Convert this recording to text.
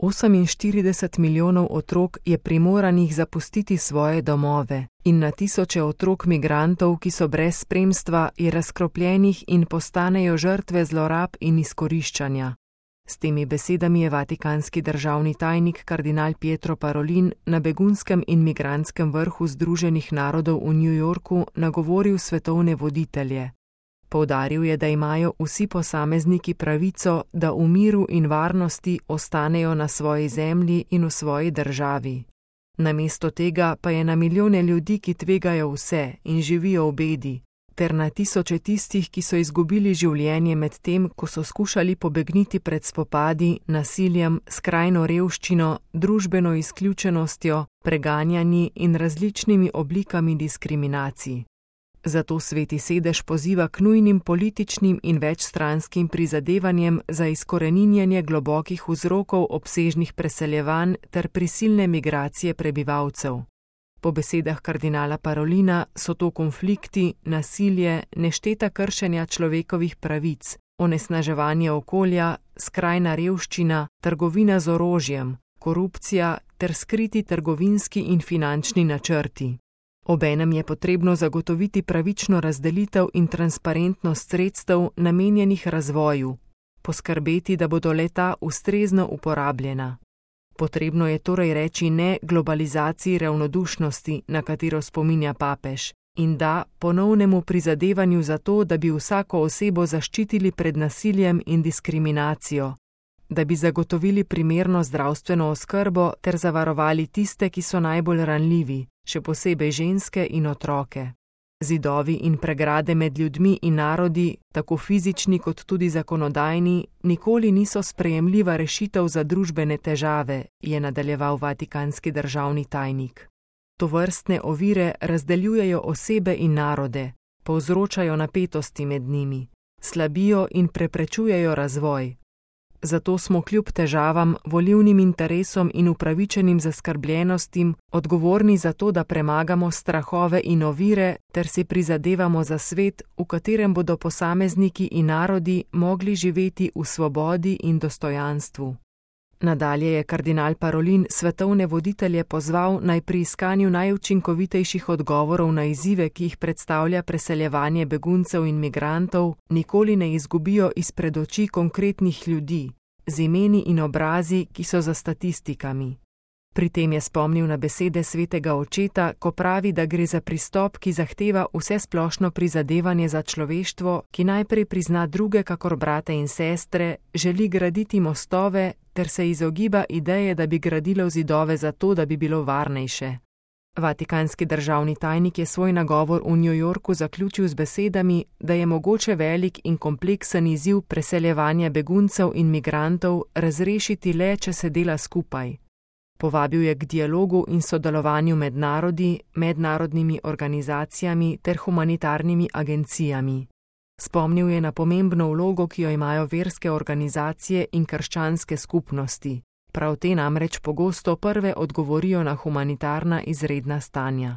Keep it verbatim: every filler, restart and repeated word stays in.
Oseminštirideset milijonov otrok je primoranih zapustiti svoje domove in na tisoče otrok migrantov, ki so brez spremstva, je razkropljenih in postanejo žrtve zlorab in izkoriščanja. S temi besedami je vatikanski državni tajnik kardinal Pietro Parolin na begunskem in migrantskem vrhu Združenih narodov v New Yorku nagovoril svetovne voditelje. Poudaril je, da imajo vsi posamezniki pravico, da v miru in varnosti ostanejo na svoji zemlji in v svoji državi. Namesto tega pa je na milijone ljudi, ki tvegajo vse in živijo v bedi, ter na tisoče tistih, ki so izgubili življenje med tem, ko so skušali pobegniti pred spopadi, nasiljem, skrajno revščino, družbeno izključenostjo, preganjanji in različnimi oblikami diskriminacij. Zato Sveti sedež poziva k nujnim političnim in večstranskim prizadevanjem za izkoreninjanje globokih vzrokov obsežnih preseljevanj ter prisilne migracije prebivalcev. Po besedah kardinala Parolina so to konflikti, nasilje, nešteta kršenja človekovih pravic, onesnaževanje okolja, skrajna revščina, trgovina z orožjem, korupcija ter skriti trgovinski in finančni načrti. Obenem je potrebno zagotoviti pravično razdelitev in transparentnost sredstev namenjenih razvoju, poskrbeti, da bodo le-ta ustrezno uporabljena. Potrebno je torej reči ne globalizaciji ravnodušnosti, na katero spominja papež, in da ponovnemu prizadevanju za to, da bi vsako osebo zaščitili pred nasiljem in diskriminacijo, da bi zagotovili primerno zdravstveno oskrbo ter zavarovali tiste, ki so najbolj ranljivi, še posebej ženske in otroke. Zidovi in pregrade med ljudmi in narodi, tako fizični kot tudi zakonodajni, nikoli niso sprejemljiva rešitev za družbene težave, je nadaljeval vatikanski državni tajnik. Tovrstne ovire razdeljujejo osebe in narode, povzročajo napetosti med njimi, slabijo in preprečujejo razvoj. Zato smo kljub težavam, volilnim interesom in upravičenim zaskrbljenostim odgovorni za to, da premagamo strahove in ovire ter si prizadevamo za svet, v katerem bodo posamezniki in narodi mogli živeti v svobodi in dostojanstvu. Nadalje je kardinal Parolin svetovne voditelje pozval, naj pri iskanju najučinkovitejših odgovorov na izzive, ki jih predstavlja preseljevanje beguncev in migrantov, nikoli ne izgubijo izpred oči konkretnih ljudi, z imeni in obrazi, ki so za statistikami. Pri tem je spomnil na besede svetega očeta, ko pravi, da gre za pristop, ki zahteva vsesplošno prizadevanje za človeštvo, ki najprej prizna druge kakor brate in sestre, želi graditi mostove ter se izogiba ideje, da bi gradilo zidove zato, da bi bilo varnejše. Vatikanski državni tajnik je svoj nagovor v New Yorku zaključil z besedami, da je mogoče velik in kompleksen izziv preseljevanja beguncev in migrantov razrešiti le, če se dela skupaj. Povabil je k dialogu in sodelovanju med narodi, mednarodnimi organizacijami ter humanitarnimi agencijami. Spomnil je na pomembno vlogo, ki jo imajo verske organizacije in krščanske skupnosti. Prav te namreč pogosto prve odgovorijo na humanitarna izredna stanja.